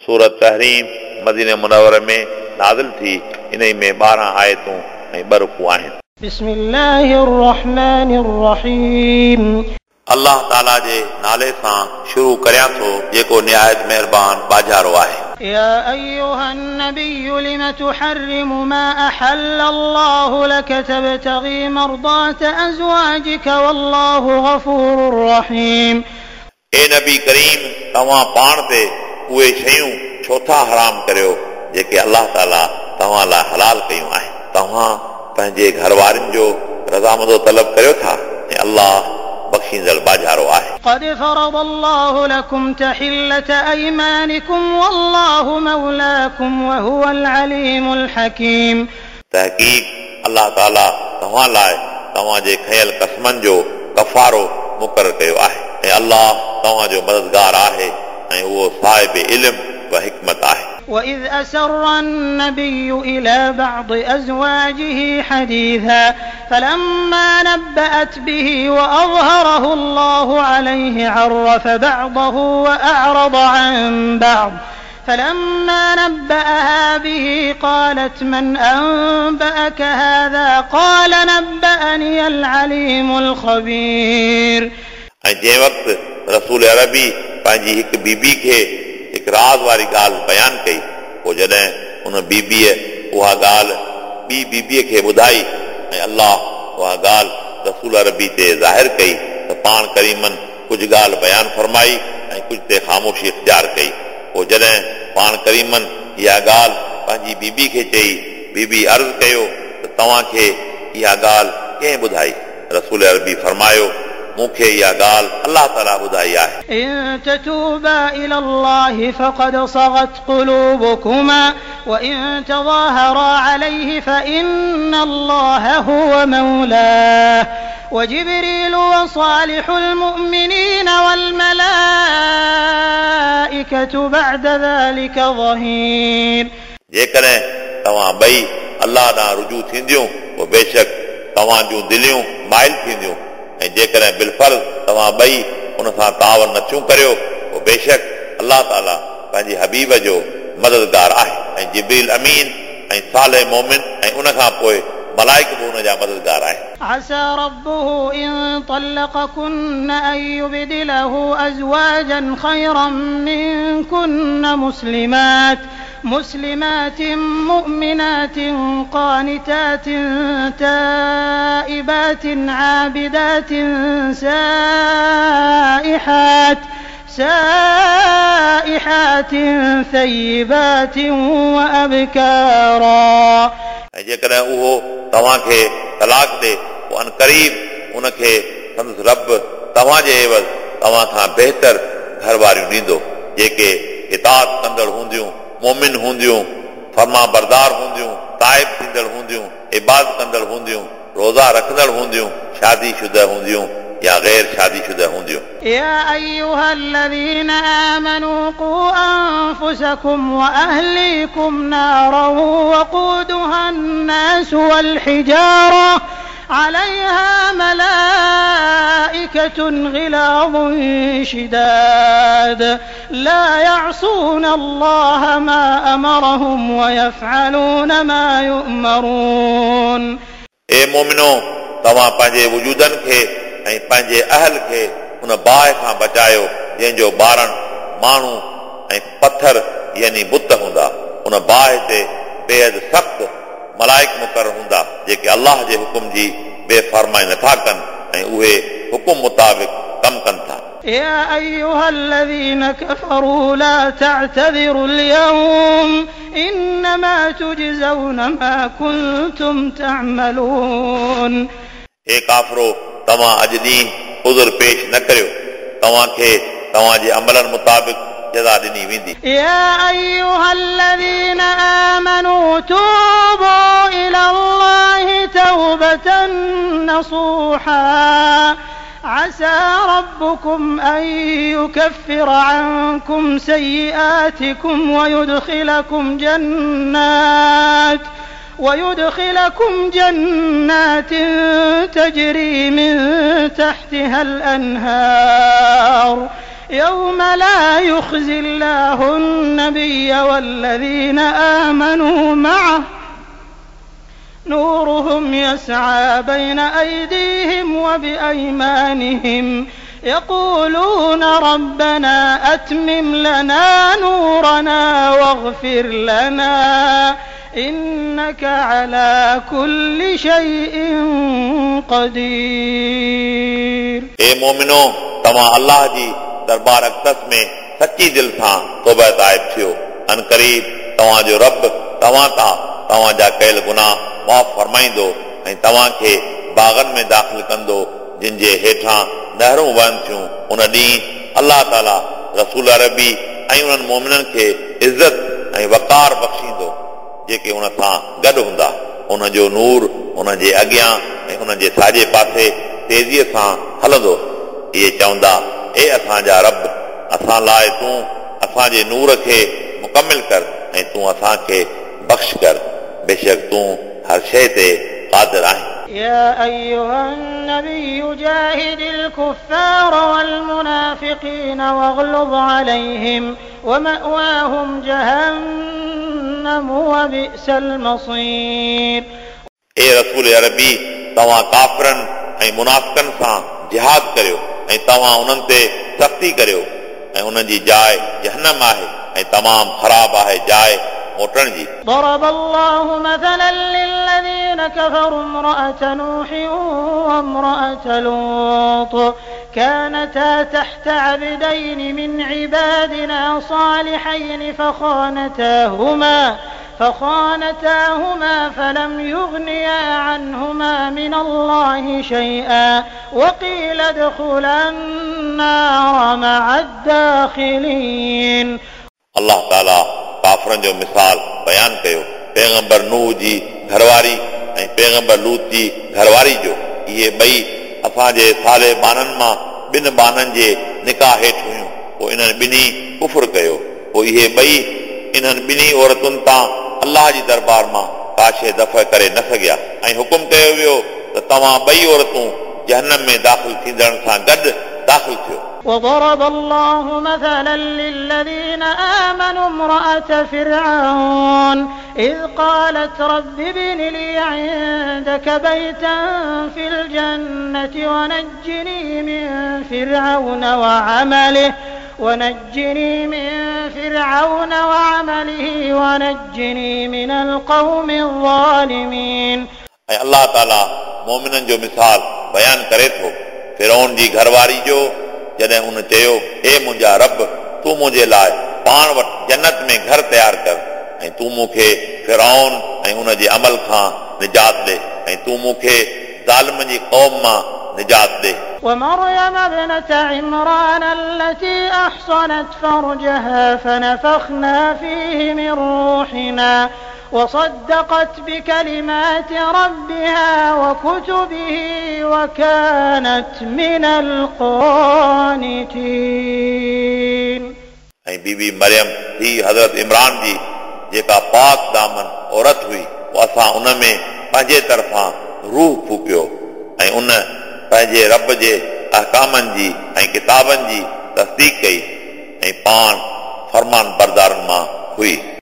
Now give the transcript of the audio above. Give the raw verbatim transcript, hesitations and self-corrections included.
सूरत तहरीम मदीने मुनव्वर में नाज़िल थी। इन्ही में ॿारहं आयतूं ऐं ॿ रुकू आहिनि। बिस्मिल्लाहिर रहमानिर रहीम। अल्लाह ताला जे नाले सां शुरू करियां थो जेको निहायत महिरबान बाजारो आहे। या अय्युहन नबिय्यु लिम तुहर्रिमु मा अहल्ल अल्लाहु लक तबतगी मर्दात अज़वाजिक वल्लाहु गफूरुर रहीम। ए नबी करीम, तव्हां पाण ते उहे शयूं छो था हराम करियो जेके अल्लाह ताला तव्हां लाइ हलाल कयूं आहिनि। तव्हां पंहिंजे घरवारनि जो रज़ामंदो तलब करियो था ऐं अल्लाह बख़्शींदड़ बाजारो आहे। क़द फ़रद अल्लाहु लकुम तहिल्लत अयमानिकुम वल्लाहु मौलाकुम वहुवल अलीमुल हकीम। तहक़ीक़ अल्लाह ताला तव्हां लाइ तव्हांजे खयल क़स्मनि जो कफ़ारो मुक़ररु कयो आहे ऐं अल्लाह तव्हांजो मददगार आहे ऐं उहो साहिब इल्म व हिकमत आहे। وإذ أسر النبي إلى بعض أزواجه حديثا فلما نبأت به وأظهره الله عليه عرف بعضه وأعرض عن بعض فلما نبأها به قالت من أنبأك هذا قال نبأني العليم الخبير। ऐं जंहिं वक़्तु रसूल अरबी पंहिंजी हिकु बीबी खे हिकु राज़ वारी ॻाल्हि बयानु कई, पोइ जॾहिं उन बीबीअ उहा ॻाल्हि ॿी बीबीअ खे ॿुधाई ऐं अल्लाह उहा ॻाल्हि रसूल अरबी ते ज़ाहिर कई त पाण करीमनि कुझु ॻाल्हि बयानु फरमाई ऐं कुझु ते ख़ामोशी इख़्तियार कई। पोइ जॾहिं पाण करीमनि इहा ॻाल्हि पंहिंजी बीबी खे चई, बीबी अर्ज़ु कयो त तव्हांखे इहा ॻाल्हि कंहिं ॿुधाई? रसूल अरबी फरमायो, मूंखे इहा ॻाल्हि अल्लाह ताला ॿुधाई आहे। इन ततूबा इलल्लाहि फ़क़द सगत क़ुलूबुकुमा व इन तज़ाहरा अलैहि फ़इन्नल्लाह हुव मौलाह व जिब्रील व सालिहुल मुमिनीन वल मलाइकतु बअद ज़ालिका ज़हीर। जेकॾहिं तव्हां ॿई अल्लाह ॾांहुं रुजू थींदियूं पोइ बेशक तव्हां जूं दिलियूं माइल थींदियूं ऐं जेकॾहिं बिलफर्ज़ तव्हां ॿई उन सां तावन नथियूं करियो पोइ बेशक अल्लाह ताला पंहिंजे हबीब जो मददगार आहे ऐं जिब्रील अमीन ऐं साले मोमिन ऐं उन खां पोइ मलाइक बि उन जा मददगार आहिनि। असा रब्बुहु इन तल्लक़कुन्न अन युबदिलहु अज़वाजन ख़ैरन मिनकुन्न मुस्लिमात मुस्लिमात मुमिनात क़ानितात ताइबात आबिदात साइहात साइहात थय्यिबात व अबकारा। ऐं जेकॾहिं उहो तव्हांखे तलाक़ ॾे पोइ अनक़रीब उनखे संदसि रब तव्हांजे एवज़ तव्हां खां बहितर घर वारियूं ॾींदो जेके इताअत कंदड़ हूंदियूं, मोमिन हूंदियूं, फर्मा बरदार हूंदियूं, ताइब थींदड़ हूंदियूं, इबादत कंदड़ हूंदियूं, रोज़ा रखंदड़ हूंदियूं, शादी शुदा हूंदियूं या गैर शादी शुदा हूंदियूं। या अय्युहल्लज़ीना आमनू क़ू अनफुसकुम व अहलीकुम नारन वक़ूदुहा अन्नासु वल हिजारा अलैहा मलाइकतुन ग़िलाज़ुन शिदाद ला यअसून अल्लाह मा अमरहुम व यफ़अलून मा युअमरून। ए मोमिनो, तव्हां पंहिंजे वजूदनि खे ऐं पंहिंजे अहल खे उन बाहि खां बचायो जंहिंजो ॿारण माण्हू ऐं पथर यानी बुत हूंदा। उन बाहि ते बेहद सख़्तु मलाइक मुक़ररु हूंदा जेके अल्लाह जे हुकुम जी बेफ़रमाई नथा कनि ऐं उहे हुकुम मुताबिक़ कमु कनि था। या अय्युहल्लज़ीना कफ़रू ला तअतज़िरुल यौम इन्नमा तुजज़ौन मा कुंतुम तअमलून। ए काफ़रो, तव्हां अॼु ॾींहुं उज़ुर पेश न करियो, तव्हांखे तव्हांजे अमलनि मुताबिक़ जज़ा ॾिनी वेंदी। या अय्युहल्लज़ीना आमनू तूबू इलल्लाहि तौबतन नसूहा असा रब्बुकुम अन युकफ्फिर अन्कुम सय्यिआतिकुम वयुदखिलकुम जन्नात ويدخلكم جنات تجري من تحتها الأنهار يوم لا يخزي الله النبي النبي والذين آمنوا معه نورهم يسعى بين أيديهم وبأيمانهم يقولون ربنا أتمم لنا نورنا واغفر لنا إنك على كل شيء قدير. ए मोमिनो, तव्हां अल्लाह जी दरबार अक़दस में सच्ची दिल सां तौबा ताइब थियो। अन क़रीब तव्हांजो रब तव्हां तां तव्हांजा कयल गुनाह माफ़ फरमाईंदो ऐं तव्हांखे बाग़नि में दाख़िल कंदो जिन जे हेठां नहरूं वहनि थियूं। उन ॾींहुं अल्लाह ताला रसूल अरबी ऐं उन्हनि मोमिननि खे इज़त ऐं वक़ार बख़्शींदो जेके उन सां गॾु हूंदा। उन जो नूर उन जे अॻियां ऐं उन जे साॼे पासे तेज़ीअ सां हलंदो। इहे चवंदा, ए असांजा रब, असां लाइ तूं असांजे नूर खे मुकमिल कर ऐं तूं असांखे बख़्श कर, बेशक तूं हर शइ ते क़ादिर आहीं। يا أيها النبي جاهد الكفار والمنافقين واغلظ عليهم ومأواهم جهنم وبئس المصير. ए रसूल अरबी, तव्हां काफ़िरनि ऐं मुनाफ़िकनि सां जिहाद करियो ऐं तव्हां उन्हनि ते सख़्ती करियो ऐं उन्हनि जी जाइ जहन्नम आहे ऐं तमामु ख़राब आहे जाइ मोटण जी। ضرب الله مثلا للذين كفروا امرأة نوح وامرأة لوط كانتا تحت عبدين من عبادنا صالحين فخانتاهما فخانتاهما فلم يغنيا عنهما من الله شيئا وقيل ادخلا النار مع الداخلين. अल्लाह ताला काफ़िरनि जो मिसाल बयानु कयो पैगंबर नूह जी घरवारी ऐं पैगंबर लूत जी घरवारी जो। इहे ॿई असांजे साले बाननि मां ॿिनि बाननि जे निकाह हेठि हुयूं। पोइ इन्हनि ॿिन्ही कुफुर कयो। पोइ इहे ॿई इन्हनि ॿिन्ही औरतुनि तां अल्लाह जी दरबार मां का शइ दफ़ करे न सघिया ऐं हुकुम कयो वियो त तव्हां ॿई औरतूं जहन्नम में दाख़िल थींदड़नि सां गॾु दाख़िल थियो। وضرب الله مثلا للذين آمنوا امرأة فرعون إذ قالت رب ابن لي عندك بيتا في الجنة ونجني من فرعون وعمله ونجني من فرعون وعمله ونجني من القوم الظالمين. ऐं अल्लाह ताला मोमिननि जो मिसाल बयानु करे थो फिरौन जी घरवारी जो, जॾहिं उन चयो, हे मुंहिंजा रब, तूं मुंहिंजे लाइ पाण वटि जन्नत में घर तयारु कर ऐं तूं मूंखे फिरौन ऐं उन जे अमल खां निजात ॾे ऐं तूं मूंखे ज़ालिम जी क़ौम मां निजात ॾे। ومريم ابنة عمران التي أحصنت فرجها فنفخنا فيه من روحنا وصدقت بكلمات ربها وكتبه وكانت من القانتين. ऐं बीबी मरियम थी हज़रत इमरान जी जेका पाक दामन औरत हुई, पोइ असां उन में पंहिंजे तरफ़ां रूह फूकियो ऐं उन पंहिंजे रब जे अहकामनि जी ऐं किताबनि जी तस्दीक कई ऐं पाण फरमान बरदारनि मां हुई।